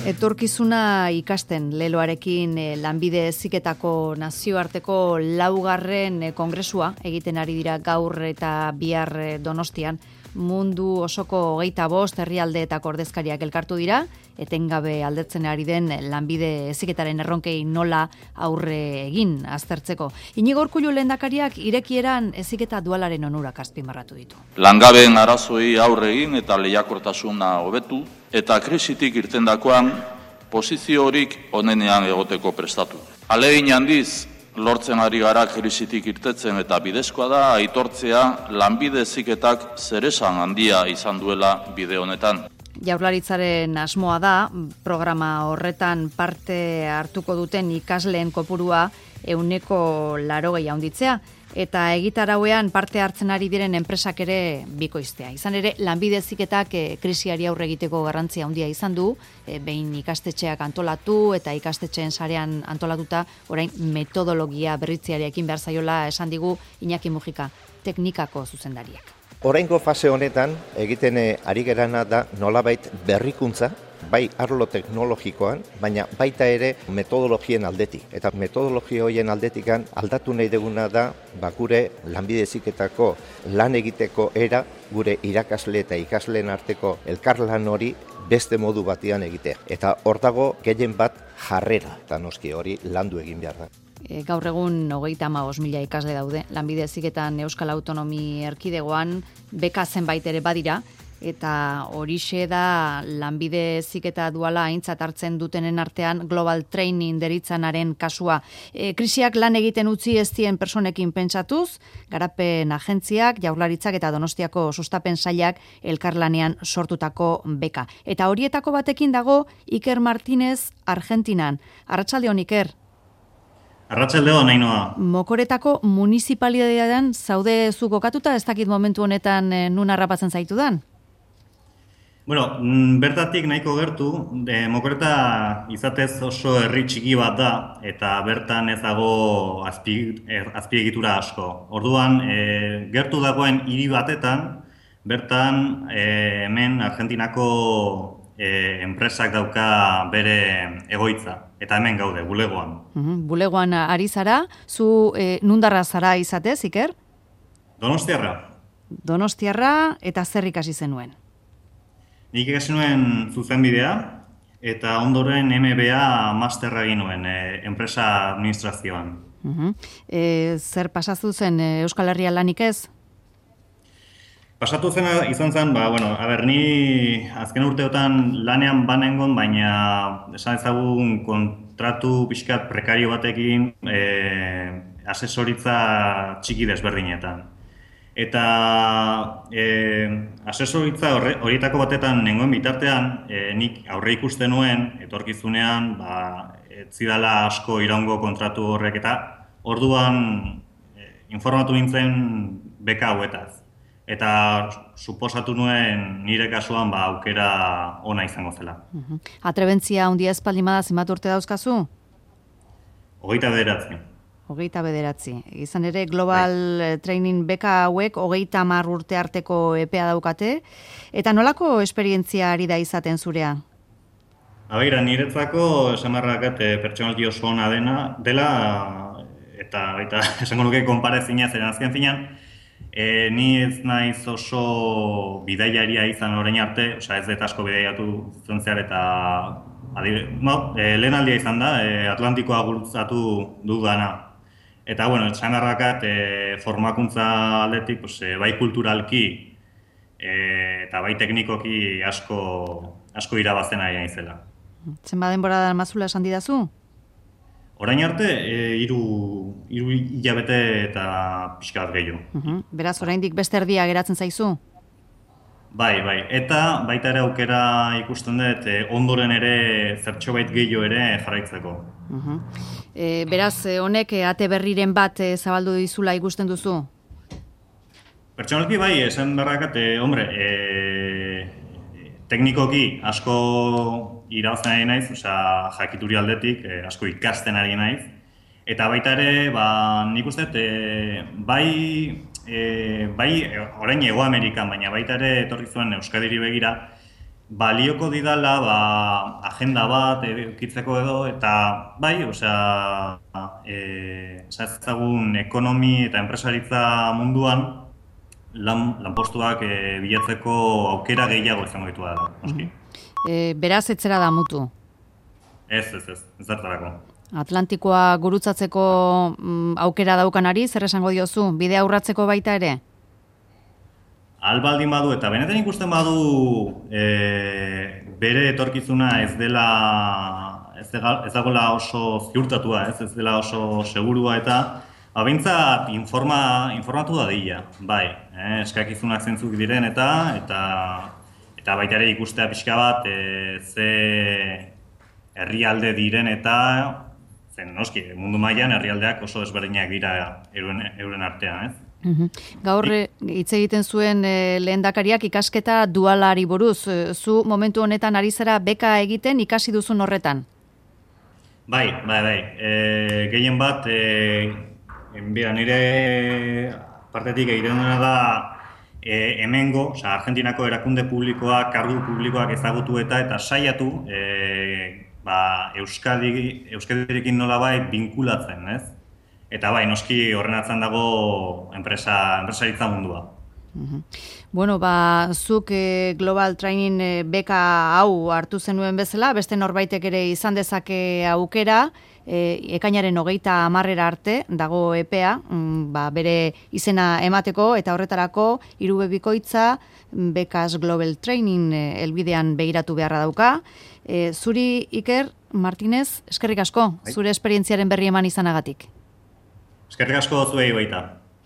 Etorkizuna ikasten leloarekin lanbide heziketako nazioarteko laugarren kongresua egiten ari dira gaur eta bihar Donostian. Mundu osoko 25 herrialdeetako ordezkariak elkartu dira, etengabe aldatzen ari den lanbide heziketaren erronkei nola aurre egin aztertzeko. Iñigo Urkullu lehendakariak irekieran heziketa dualaren onurak azpimarratu ditu. Langabeen arazoei aurre egin eta lehiakortasuna hobetu, eta krisitik irtendakoan posiziorik onenean egoteko prestatu. Ahalegin handiz lortzen ari gara krisitik irtetzen eta bidezkoa da aitortzea lanbide heziketak zeresan handia izan duela bide honetan. Jaurlaritzaren asmoa da programa horretan parte hartuko duten ikasleen kopurua 180 handitzea. Eta egitarauean parte hartzen ari diren enpresak ere bikoiztea. Izan ere, lanbide heziketak krisiari aurre egiteko garrantzia handia izan du, behin ikastetxeak antolatu eta ikastetxeen sarean antolatuta, orain metodologia berritzeari ekin behar zaiola esan digu Iñaki Mujika, teknikako zuzendariak. Oraingo fase honetan egiten ari gerana da nolabait berrikuntza, bai arlo teknologikoan, baina baita ere metodologien aldetik. Eta metodologia horien aldetikan aldatu nahi duguna da gure lanbide heziketako lan egiteko era, gure irakasle eta ikasleen arteko elkarlan hori beste modu batean egitea. Eta hor dago gehien bat jarrera, eta noski hori landu egin behar da. Gaur egun 35.000 ikasle daude. Lanbide heziketan Euskal Autonomi Erkidegoan beka zenbait ere badira, eta horixe da lanbide heziketa duala aintzat hartzen dutenen artean Global Training deritzanaren kasua. Krisiak lan egiten utzi ez dien personekin pentsatuz, garapen agentziak, Jaurlaritzak eta Donostiako sustapen sailak elkarlanean sortutako beka. Eta horietako batekin dago Iker Martínez Argentinan. Arratsaldeon, Iker. Arratsaldeon, Ainhoa. Mokoretako municipalitatean zaude zu kokatuta, ez dakit momentu honetan nun harrapatzen zaitudan? Bueno, bertatik nahiko gertu, Mokoreta izatez oso herri txiki bat da, eta bertan ez dago azpiegitura asko. Orduan, gertu dagoen hiri batetan, bertan hemen Argentinako enpresak dauka bere egoitza, eta hemen gaude, bulegoan. Bulegoan ari zara, zu nundarra zara izatez, Iker? Donostiarra. Donostiarra eta zer ikasi zenuen? Nik ikasi nuen zuzenbidea, eta ondoren MBA masterra egin nuen, enpresa administrazioan. Zer pasatu zen Euskal Herria lanik ez? Pasatu zena izan zen, ni azken urteotan lanean banengon, baina esan ezagun kontratu pixkat prekario batekin asesoritza txiki desberdinetan. Eta asesoritza horietako batetan nengoen bitartean, nik aurre ikusten nuen, etorkizunean, ez zidala asko iraungo kontratu horrek, eta orduan informatu nintzen beka hauetaz. Eta suposatu nuen nire kasuan aukera ona izango zela. Atrebentzia handia espaldimada zenbat urte dauzkazu? 29. 29. Izan ere, Global Training beka hauek 30 urte arteko epea daukate. Eta nolako esperientzia ari da izaten zurea? Abeira, niretzako esamarrakat pertsonalki oso ona dela, eta esango nuke konparezina zeren azken finean, ni ez naiz oso bidaiaria izan orain arte, ez dut asko bidaiatu zen zehar, eta lehen aldia izan da, Atlantikoa gurutzatu dudana. Eta, esangarrakat formakuntza aldetik, bai kulturalki eta bai teknikoki asko irabazten ari naizela. Zenbat denbora da mazula esan didazu? Orain arte, 3 hilabete eta pixka bat gehiago. Beraz, oraindik beste erdia geratzen zaizu? Bai. Eta baita ere aukera ikusten dut, ondoren ere zertxobait gehiago ere jarraitzeko. Beraz, honek ate berriren bat zabaldu dizula ikusten duzu? Pertsonalki bai, esan berrakat, teknikoki asko irabazten ari naiz, jakituri aldetik, asko ikasten ari naiz. Eta baita ere, nik uste, bai orain Hego Amerikan, baina baita ere etorri zuen Euskadiri begira, balioko didala agenda bat edukitzeko edo, eta bai, ezagun ekonomi eta enpresaritza munduan lanpostuak bilatzeko aukera gehiago izango ditu da. Beraz, etzera da mutu? Ez zertarako. Atlantikoa gurutzatzeko aukera daukanari, zer esango diozu, bidea urratzeko baita ere? Albaldin badu, eta benetan ikusten badu bere etorkizuna ez dagoela oso ziurtatua, ez dela oso segurua, eta behintzat informatu da dira, bai, eskakizunak zentzuk diren eta baita ere ikustea pixka bat ze herrialde diren eta zen noski, mundu mailan herrialdeak oso ezberdinak dira euren artean, ez? Gaur hitz egiten zuen lehendakariak ikasketa dualari buruz. Zu momentu honetan ari zara beka egiten ikasi duzun horretan? Bai. Gehien bat, nire partetik egiten duena da hemengo, Argentinako erakunde publikoak, kargu publikoak ezagutu eta saiatu Euskadirekin nolabait binkulatzen, ez? Eta bai, noski horren atzan dago enpresaritza mundua. Bueno, zuk Global Training beka hau hartu zenuen bezala, beste norbaitek ere izan dezake aukera, ekainaren 30 arte dago epea, bere izena emateko, eta horretarako irubebikoitza bekas Global Training helbidean begiratu beharra dauka. Zuri, Iker Martinez, eskerrik asko, zure esperientziaren berri eman izanagatik. Eskerrik asko zuei baita.